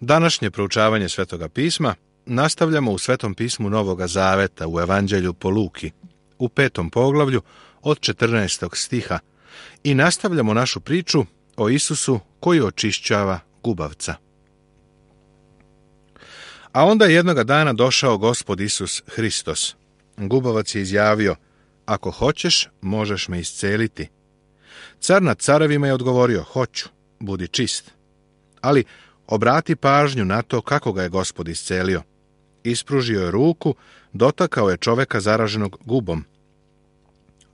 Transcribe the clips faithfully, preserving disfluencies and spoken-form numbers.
Današnje proučavanje Svetoga pisma nastavljamo u Svetom pismu Novoga Zaveta u Evanđelju po Luki, u petom poglavlju od četrnaestog stiha i nastavljamo našu priču o Isusu koji očišćava gubavca. A onda je jednoga dana došao Gospod Isus Hristos. Gubavac je izjavio: ako hoćeš, možeš me isceliti. Car nad carevima je odgovorio: hoću, budi čist. Ali obrati pažnju na to kako ga je Gospod iscelio. Ispružio je ruku, dotakao je čoveka zaraženog gubom.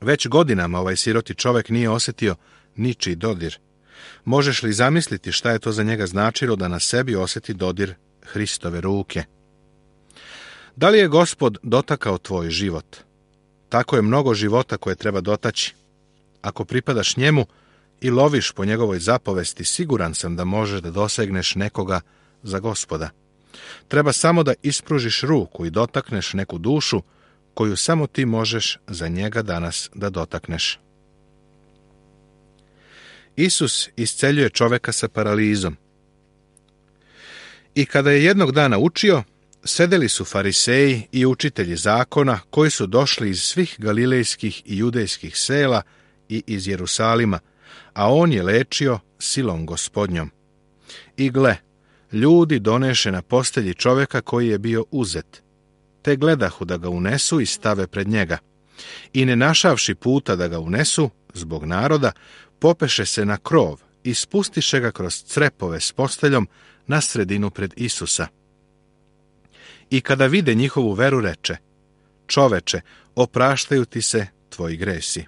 Već godinama ovaj siroti čovek nije osjetio ničiji dodir. Možeš li zamisliti šta je to za njega značilo da na sebi osjeti dodir Hristove ruke? Da li je Gospod dotakao tvoj život? Tako je mnogo života koje treba dotaći. Ako pripadaš njemu i loviš po njegovoj zapovesti, siguran sam da možeš da dosegneš nekoga za Gospoda. Treba samo da ispružiš ruku i dotakneš neku dušu koju samo ti možeš za njega danas da dotakneš. Isus isceljuje čoveka sa paralizom. I kada je jednog dana učio, sedeli su fariseji i učitelji zakona koji su došli iz svih galilejskih i judejskih sela i iz Jerusalima, a on je lečio silom Gospodnjom. I gle, ljudi doneše na postelji čoveka koji je bio uzet, te gledahu da ga unesu i stave pred njega. I ne našavši puta da ga unesu, zbog naroda, popeše se na krov i spustiše ga kroz crepove s posteljom na sredinu pred Isusa. I kada vide njihovu veru, reče: čoveče, opraštaju ti se tvoji gresi.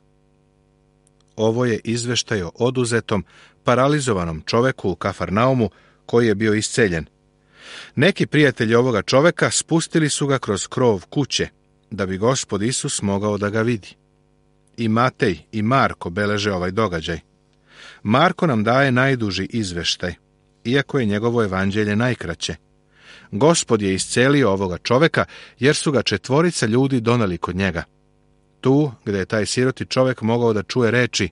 Ovo je izveštaj o oduzetom, paralizovanom čoveku u Kafarnaumu koji je bio isceljen. Neki prijatelji ovoga čoveka spustili su ga kroz krov kuće, da bi Gospod Isus mogao da ga vidi. I Matej i Marko beleže ovaj događaj. Marko nam daje najduži izveštaj, iako je njegovo evanđelje najkraće. Gospod je iscelio ovoga čoveka, jer su ga četvorica ljudi doneli kod njega. Tu, gde je taj siroti čovek mogao da čuje reči: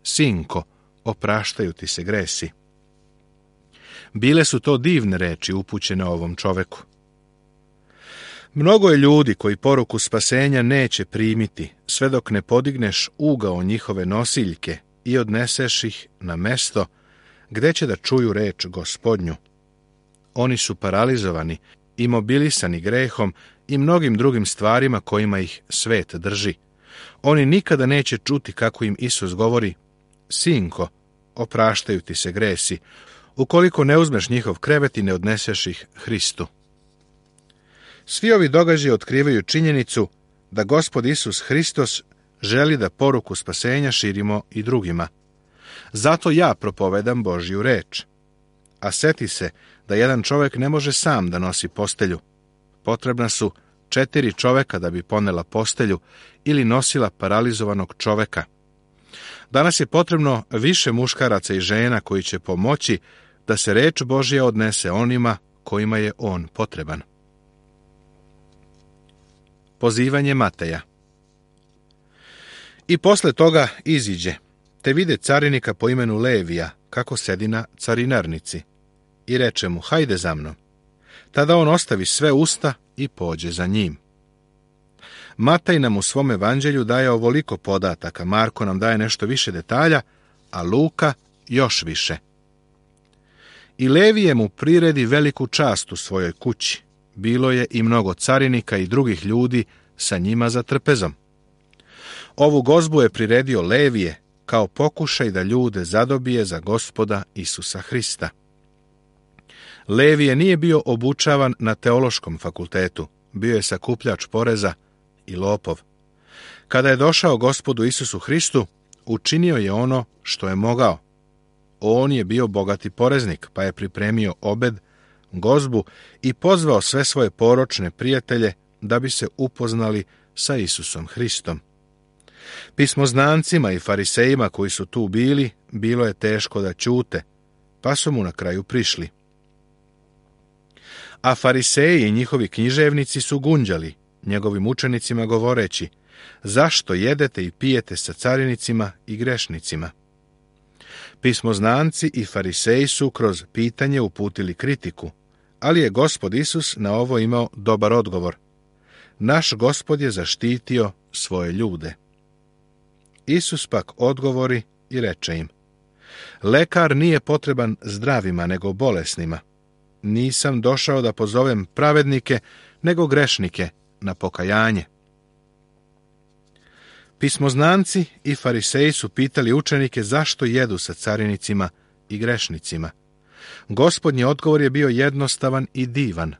sinko, opraštaju ti se gresi. Bile su to divne reči upućene ovom čoveku. Mnogo je ljudi koji poruku spasenja neće primiti, sve dok ne podigneš ugao njihove nosiljke i odneseš ih na mesto gde će da čuju reč Gospodnju. Oni su paralizovani, imobilisani grehom i mnogim drugim stvarima kojima ih svet drži. Oni nikada neće čuti kako im Isus govori: sinko, opraštaju ti se gresi, ukoliko ne uzmeš njihov krevet i ne odneseš ih Hristu. Svi ovi događaji otkrivaju činjenicu da Gospod Isus Hristos želi da poruku spasenja širimo i drugima. Zato ja propovedam Božju reč. A seti se da jedan čovek ne može sam da nosi postelju. Potrebna su četiri čoveka da bi ponela postelju ili nosila paralizovanog čoveka. Danas je potrebno više muškaraca i žena koji će pomoći da se reč Božja odnese onima kojima je on potreban. Pozivanje Mateja. I posle toga iziđe, te vide carinika po imenu Levija, kako sedi na carinarnici, i reče mu: hajde za mnom. Tada on ostavi sve usta i pođe za njim. Mataj nam u svom evanđelju daje ovoliko podataka, Marko nam daje nešto više detalja, a Luka još više. I Levije mu priredi veliku čast u svojoj kući. Bilo je i mnogo carinika i drugih ljudi sa njima za trpezom. Ovu gozbu je priredio Levije kao pokušaj da ljude zadobije za Gospoda Isusa Hrista. Levije nije bio obučavan na teološkom fakultetu, bio je sakupljač poreza i lopov. Kada je došao Gospodu Isusu Hristu, učinio je ono što je mogao. On je bio bogati poreznik, pa je pripremio obed, gozbu i pozvao sve svoje poročne prijatelje da bi se upoznali sa Isusom Hristom. Pismoznancima i farisejima koji su tu bili, bilo je teško da ćute, pa su mu na kraju prišli. A fariseji i njihovi književnici su gunđali njegovim učenicima govoreći: zašto jedete i pijete sa carinicima i grešnicima? Pismoznanci i fariseji su kroz pitanje uputili kritiku, ali je Gospod Isus na ovo imao dobar odgovor. Naš Gospod je zaštitio svoje ljude. Isus pak odgovori i reče im: lekar nije potreban zdravima, nego bolesnima. Nisam došao da pozovem pravednike, nego grešnike na pokajanje. Pismoznanci i fariseji su pitali učenike zašto jedu sa carinicima i grešnicima. Gospodnji odgovor je bio jednostavan i divan.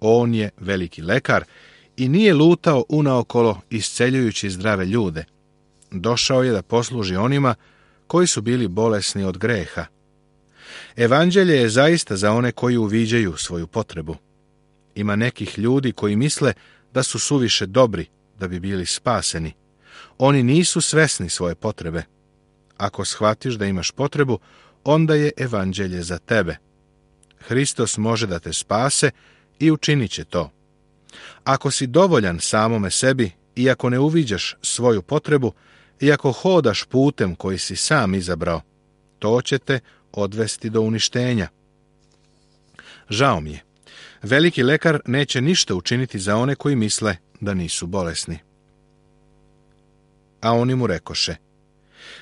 On je veliki lekar i nije lutao unaokolo isceljujući zdrave ljude. Došao je da posluži onima koji su bili bolesni od greha. Evanđelje je zaista za one koji uviđaju svoju potrebu. Ima nekih ljudi koji misle da su suviše dobri da bi bili spaseni. Oni nisu svesni svoje potrebe. Ako shvatiš da imaš potrebu, onda je evanđelje za tebe. Hristos može da te spase i učinit će to. Ako si dovoljan samome sebi i ako ne uviđaš svoju potrebu i ako hodaš putem koji si sam izabrao, to će te odvesti do uništenja. Žao mi je. Veliki lekar neće ništa učiniti za one koji misle da nisu bolesni. A oni mu rekoše: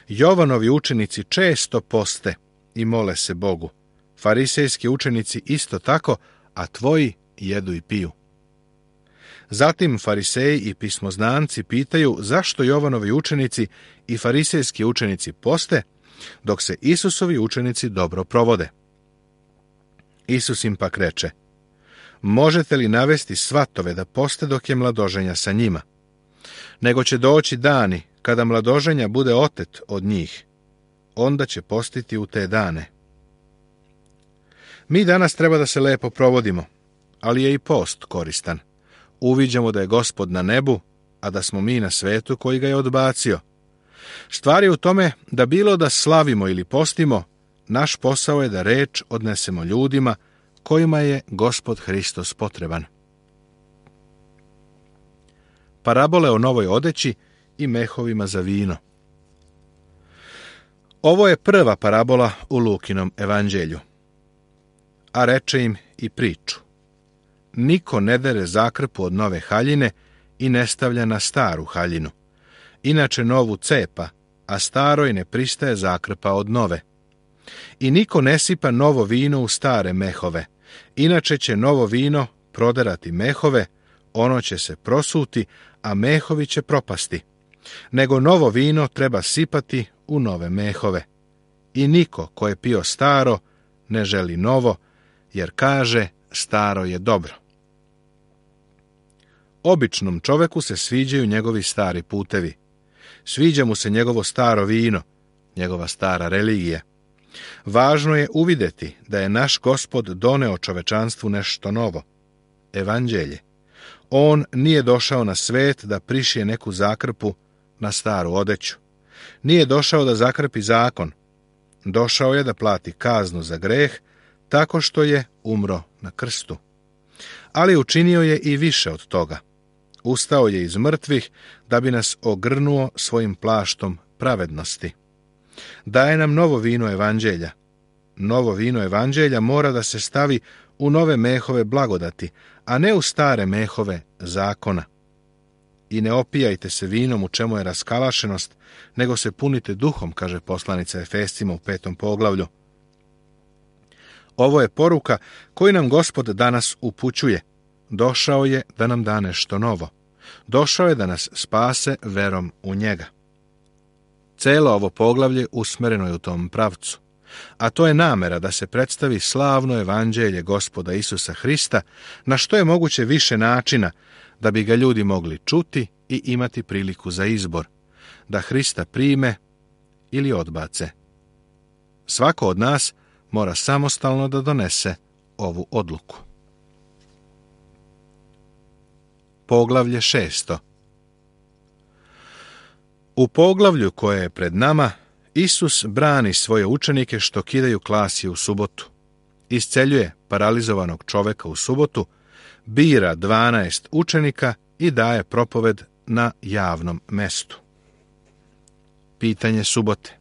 Jovanovi učenici često poste i mole se Bogu, farisejski učenici isto tako, a tvoji jedu i piju. Zatim fariseji i pismoznanci pitaju zašto Jovanovi učenici i farisejski učenici poste, dok se Isusovi učenici dobro provode. Isus im pak reče: možete li navesti svatove da poste dok je mladoženja sa njima? Nego će doći dani kada mladoženja bude otet od njih. Onda će postiti u te dane. Mi danas treba da se lepo provodimo, ali je i post koristan. Uviđamo da je Gospod na nebu, a da smo mi na svetu koji ga je odbacio. Stvar je u tome da bilo da slavimo ili postimo, naš posao je da reč odnesemo ljudima kojima je Gospod Hristos potreban. Parabole o novoj odeći i mehovima za vino. Ovo je prva parabola u Lukinom evanđelju. A reče im i priču: niko ne dere zakrpu od nove haljine i ne stavlja na staru haljinu. Inače novu cepa, a staroj ne pristaje zakrpa od nove. I niko ne sipa novo vino u stare mehove, inače će novo vino proderati mehove, ono će se prosuti, a mehovi će propasti. Nego novo vino treba sipati u nove mehove. I niko ko je pio staro ne želi novo, jer kaže staro je dobro. Običnom čoveku se sviđaju njegovi stari putevi. Sviđa mu se njegovo staro vino, njegova stara religija. Važno je uvideti da je naš Gospod doneo čovečanstvu nešto novo, evanđelje. On nije došao na svet da prišije neku zakrpu na staru odeću. Nije došao da zakrpi zakon. Došao je da plati kaznu za greh tako što je umro na krstu. Ali učinio je i više od toga. Ustao je iz mrtvih da bi nas ogrnuo svojim plaštom pravednosti. Daje nam novo vino evanđelja. Novo vino evanđelja mora da se stavi u nove mehove blagodati, a ne u stare mehove zakona. I ne opijajte se vinom u čemu je raskalašenost, nego se punite duhom, kaže poslanica Efescima u petom poglavlju. Ovo je poruka koju nam Gospod danas upućuje. Došao je da nam da nešto novo. Došao je da nas spase verom u njega. Celo ovo poglavlje usmereno je u tom pravcu, a to je namera da se predstavi slavno evanđelje Gospoda Isusa Hrista na što je moguće više načina da bi ga ljudi mogli čuti i imati priliku za izbor, da Hrista prime ili odbace. Svako od nas mora samostalno da donese ovu odluku. Poglavlje šesto. U poglavlju koje je pred nama, Isus brani svoje učenike što kidaju klasje u subotu. Isceljuje paralizovanog čoveka u subotu, bira dvanaest učenika i daje propoved na javnom mestu. Pitanje subote.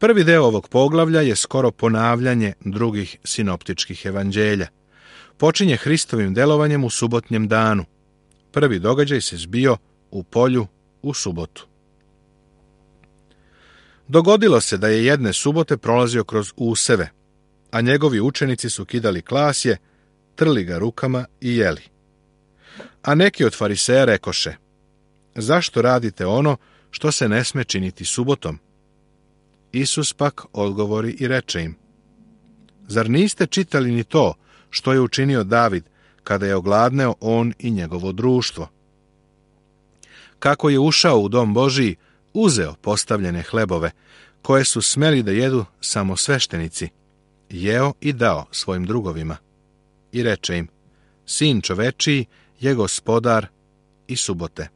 Prvi deo ovog poglavlja je skoro ponavljanje drugih sinoptičkih evanđelja. Počinje Hristovim delovanjem u subotnjem danu. Prvi događaj se zbio u polju u subotu. Dogodilo se da je jedne subote prolazio kroz useve, a njegovi učenici su kidali klasje, trli ga rukama i jeli. A neki od fariseja rekoše: zašto radite ono što se ne sme činiti subotom? Isus pak odgovori i reče im: zar niste čitali ni to što je učinio David kada je ogladneo on i njegovo društvo? Kako je ušao u dom Božiji, uzeo postavljene hlebove, koje su smeli da jedu samo sveštenici, jeo i dao svojim drugovima. I reče im: sin čovečiji je gospodar i subote.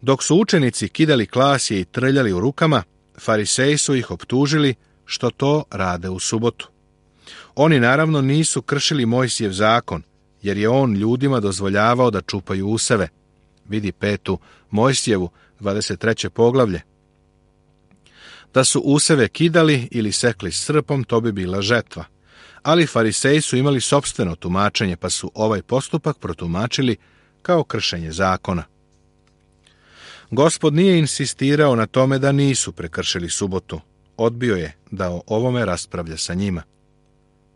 Dok su učenici kidali klasje i trljali u rukama, fariseji su ih optužili što to rade u subotu. Oni naravno nisu kršili Mojsijev zakon, jer je on ljudima dozvoljavao da čupaju useve. Vidi petu Mojsijevu, dvadeset treće poglavlje. Da su useve kidali ili sekli srpom, to bi bila žetva. Ali fariseji su imali sopstveno tumačenje, pa su ovaj postupak protumačili kao kršenje zakona. Gospod nije insistirao na tome da nisu prekršili subotu. Odbio je da o ovome raspravlja sa njima.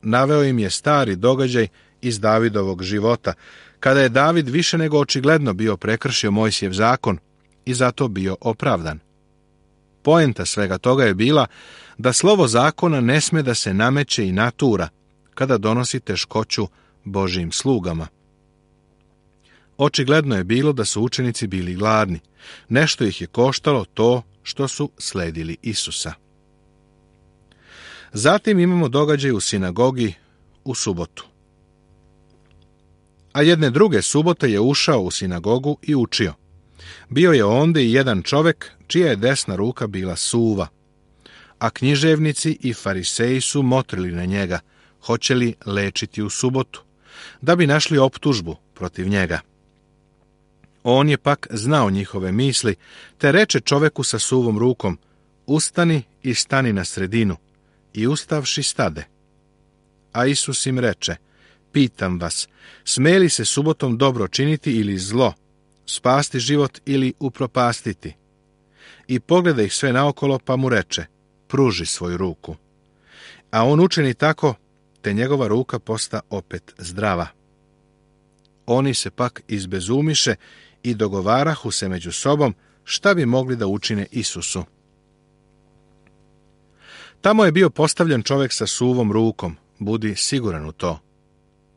Naveo im je stari događaj iz Davidovog života, kada je David više nego očigledno bio prekršio Mojsijev zakon i zato bio opravdan. Poenta svega toga je bila da slovo zakona ne sme da se nameće i natura kada donosi teškoću Božijim slugama. Očigledno je bilo da su učenici bili gladni. Nešto ih je koštalo to što su sledili Isusa. Zatim imamo događaj u sinagogi u subotu. A jedne druge subote je ušao u sinagogu i učio. Bio je ondje i jedan čovjek čija je desna ruka bila suva, a književnici i fariseji su motrili na njega, hoće li lečiti u subotu, da bi našli optužbu protiv njega. On je pak znao njihove misli, te reče čoveku sa suvom rukom: ustani i stani na sredinu. I ustavši stade. A Isus im reče: pitam vas, sme li se subotom dobro činiti ili zlo, spasti život ili upropastiti? I pogleda ih sve naokolo, pa mu reče: pruži svoju ruku. A on učini tako, te njegova ruka posta opet zdrava. Oni se pak izbezumiše i dogovarahu se među sobom šta bi mogli da učine Isusu. Tamo je bio postavljen čovjek sa suvom rukom, budi siguran u to.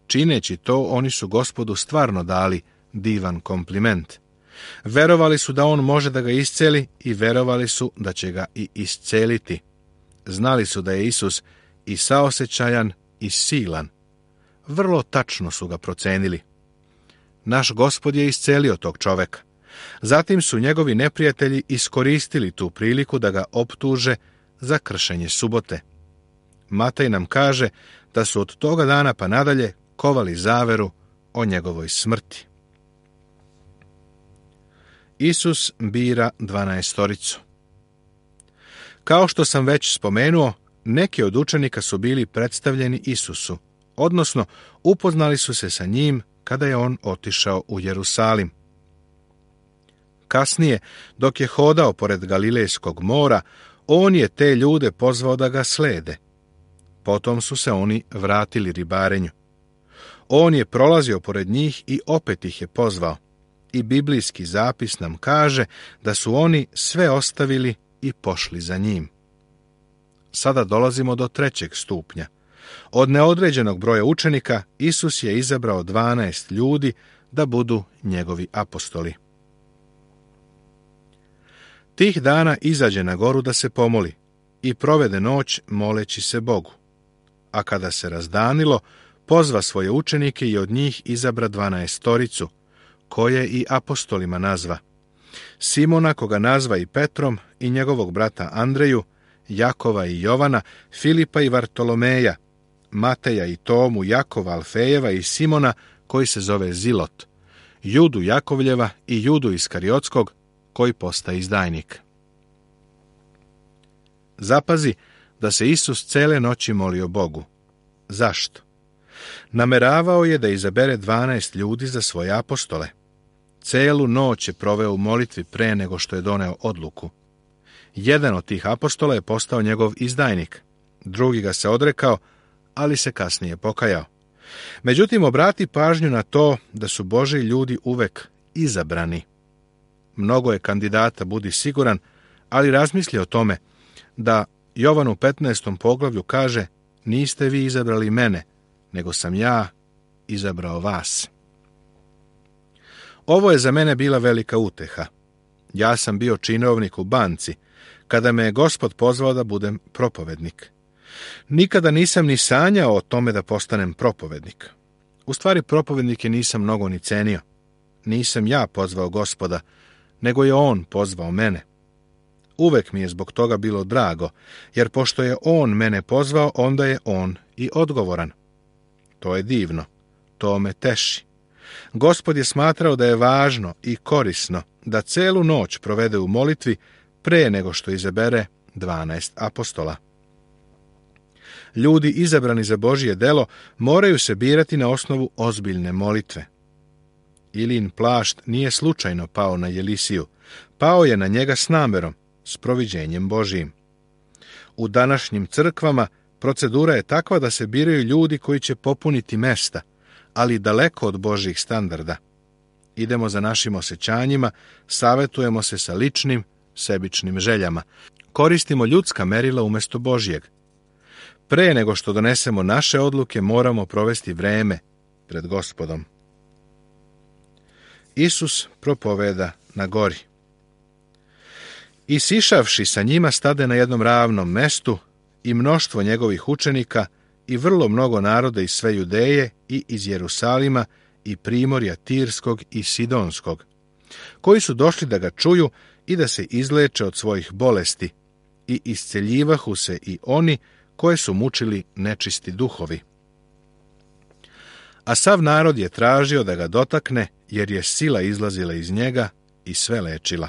Čineći to, oni su Gospodu stvarno dali divan kompliment. Verovali su da on može da ga isceli i verovali su da će ga i isceliti. Znali su da je Isus i saosećajan i silan. Vrlo tačno su ga procenili. Naš Gospod je iscelio tog čoveka. Zatim su njegovi neprijatelji iskoristili tu priliku da ga optuže za kršenje subote. Matej nam kaže da su od toga dana pa nadalje kovali zaveru o njegovoj smrti. Isus bira dvanaestoricu. Kao što sam već spomenuo, neki od učenika su bili predstavljeni Isusu, odnosno upoznali su se sa njim kada je on otišao u Jerusalim. Kasnije, dok je hodao pored Galilejskog mora, on je te ljude pozvao da ga slede. Potom su se oni vratili ribarenju. On je prolazio pored njih i opet ih je pozvao. I biblijski zapis nam kaže da su oni sve ostavili i pošli za njim. Sada dolazimo do trećeg stupnja. Od neodređenog broja učenika Isus je izabrao dvanaest ljudi da budu njegovi apostoli. Tih dana izađe na goru da se pomoli i provede noć moleći se Bogu. A kada se razdanilo, pozva svoje učenike i od njih izabra dvanaestoricu, koje i apostolima nazva: Simona, koga nazva i Petrom, i njegovog brata Andreju, Jakova i Jovana, Filipa i Vartolomeja, Mateja i Tomu, Jakova Alfejeva i Simona, koji se zove Zilot, Judu Jakovljeva i Judu Iskariotskog, koji postaje izdajnik. Zapazi da se Isus cele noći molio Bogu. Zašto? Nameravao je da izabere dvanaest ljudi za svoje apostole. Celu noć je proveo u molitvi pre nego što je doneo odluku. Jedan od tih apostola je postao njegov izdajnik, drugi ga se odrekao, ali se kasnije pokajao. Međutim, obrati pažnju na to da su Božji ljudi uvek izabrani. Mnogo je kandidata, budi siguran, ali razmisli o tome da Jovan u petnaestom poglavlju kaže: niste vi izabrali mene, nego sam ja izabrao vas. Ovo je za mene bila velika uteha. Ja sam bio činovnik u banci, kada me je Gospod pozvao da budem propovednik. Nikada nisam ni sanjao o tome da postanem propovednik. U stvari, propovednike nisam mnogo ni cenio. Nisam ja pozvao Gospoda, nego je On pozvao mene. Uvek mi je zbog toga bilo drago, jer pošto je On mene pozvao, onda je On i odgovoran. To je divno. To me teši. Gospod je smatrao da je važno i korisno da celu noć provede u molitvi pre nego što izabere dvanaest apostola. Ljudi izabrani za Božje delo moraju se birati na osnovu ozbiljne molitve. Ilin plašt nije slučajno pao na Jelisiju. Pao je na njega s namerom, s proviđenjem Božijim. U današnjim crkvama procedura je takva da se biraju ljudi koji će popuniti mesta, ali daleko od Božjih standarda. Idemo za našim osjećanjima, savetujemo se sa ličnim, sebičnim željama. Koristimo ljudska merila umjesto Božjeg. Pre nego što donesemo naše odluke, moramo provesti vreme pred Gospodom. Isus propoveda na gori. I sišavši sa njima stade na jednom ravnom mestu i mnoštvo njegovih učenika i vrlo mnogo naroda iz sve Judeje i iz Jerusalima i primorja Tirskog i Sidonskog, koji su došli da ga čuju i da se izleče od svojih bolesti, i isceljivahu se i oni koje su mučili nečisti duhovi. A sav narod je tražio da ga dotakne, jer je sila izlazila iz njega i sve lečila.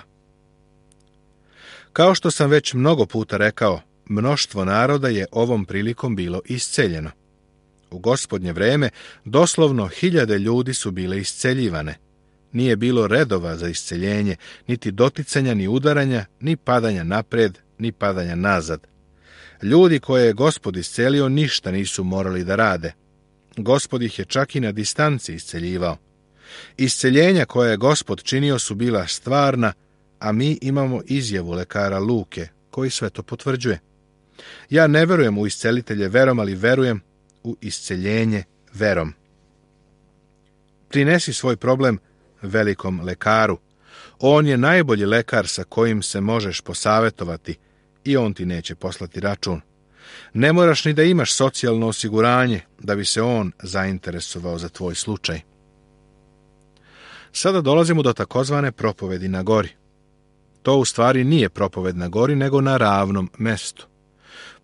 Kao što sam već mnogo puta rekao, mnoštvo naroda je ovom prilikom bilo isceljeno. U Gospodnje vreme doslovno hiljade ljudi su bile isceljivane. Nije bilo redova za isceljenje, niti doticanja, ni udaranja, ni padanja napred, ni padanja nazad. Ljudi koje je Gospod iscelio ništa nisu morali da rade. Gospod ih je čak i na distanci isceljivao. Isceljenja koje je Gospod činio su bila stvarna, a mi imamo izjavu lekara Luke, koji sve to potvrđuje. Ja ne verujem u iscelitelje verom, ali verujem u isceljenje verom. Prinesi svoj problem velikom lekaru. On je najbolji lekar sa kojim se možeš posavetovati i on ti neće poslati račun. Ne moraš ni da imaš socijalno osiguranje da bi se on zainteresovao za tvoj slučaj. Sada dolazimo do takozvane propovedi na gori. To u stvari nije propoved na gori, nego na ravnom mestu.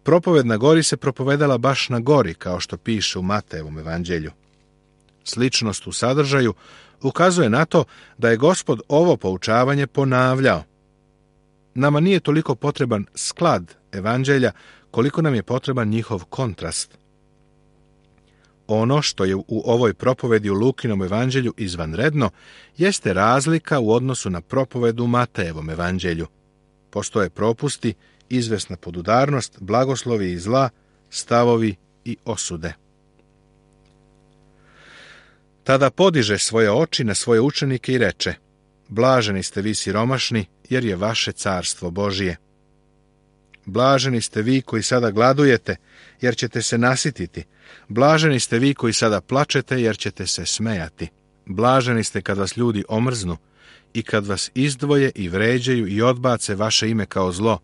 Propoved na gori se propovedala baš na gori, kao što piše u Matejevom evanđelju. Sličnost u sadržaju ukazuje na to da je Gospod ovo poučavanje ponavljao. Nama nije toliko potreban sklad evanđelja, koliko nam je potreban njihov kontrast. Ono što je u ovoj propovedi u Lukinom evanđelju izvanredno, jeste razlika u odnosu na propovedu u Matejevom evanđelju. Postoje propusti, izvesna podudarnost, blagoslovi i zla, stavovi i osude. Tada podiže svoje oči na svoje učenike i reče: blaženi ste vi siromašni, jer je vaše carstvo Božije. Blaženi ste vi koji sada gladujete, jer ćete se nasititi. Blaženi ste vi koji sada plačete, jer ćete se smejati. Blaženi ste kad vas ljudi omrznu i kad vas izdvoje i vređaju i odbace vaše ime kao zlo,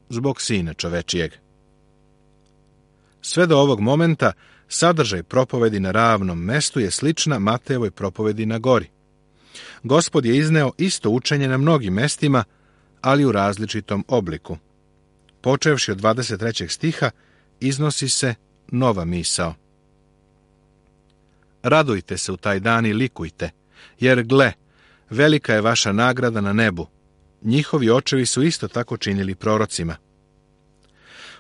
zbog Sina čovečijeg. Sve do ovog momenta sadržaj propovedi na ravnom mestu je slična Matejevoj propovedi na gori. Gospod je izneo isto učenje na mnogim mestima, ali u različitom obliku. Počevši od dvadeset trećeg stiha, iznosi se nova misao. Radujte se u taj dan i likujte, jer gle, velika je vaša nagrada na nebu. Njihovi očevi su isto tako činili prorocima.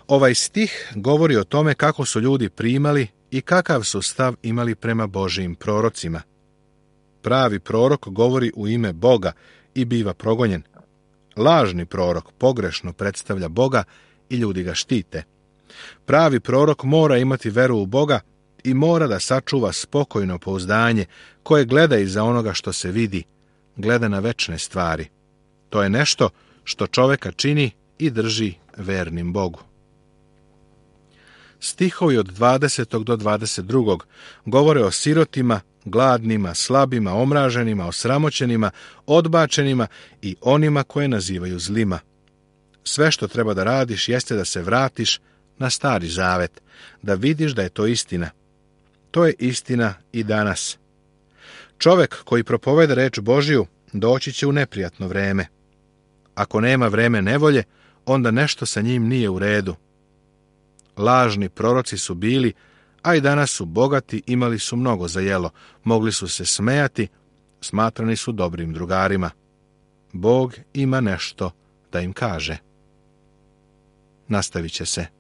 Ovaj stih govori o tome kako su ljudi primali i kakav su stav imali prema Božijim prorocima. Pravi prorok govori u ime Boga i biva progonjen. Lažni prorok pogrešno predstavlja Boga i ljudi ga štite. Pravi prorok mora imati veru u Boga i mora da sačuva spokojno pouzdanje koje gleda iza onoga što se vidi, gleda na večne stvari. To je nešto što čoveka čini i drži vernim Bogu. Stihovi od dvadesetog do dvadeset drugog govore o sirotima, gladnima, slabima, omraženima, osramoćenima, odbačenima i onima koje nazivaju zlima. Sve što treba da radiš jeste da se vratiš na Stari Zavet, da vidiš da je to istina. To je istina i danas. Čovek koji propoveda reč Božiju doći će u neprijatno vreme. Ako nema vreme nevolje, onda nešto sa njim nije u redu. Lažni proroci su bili, a i danas su bogati, imali su mnogo za jelo, mogli su se smejati, smatrani su dobrim drugarima. Bog ima nešto da im kaže. Nastavit će se.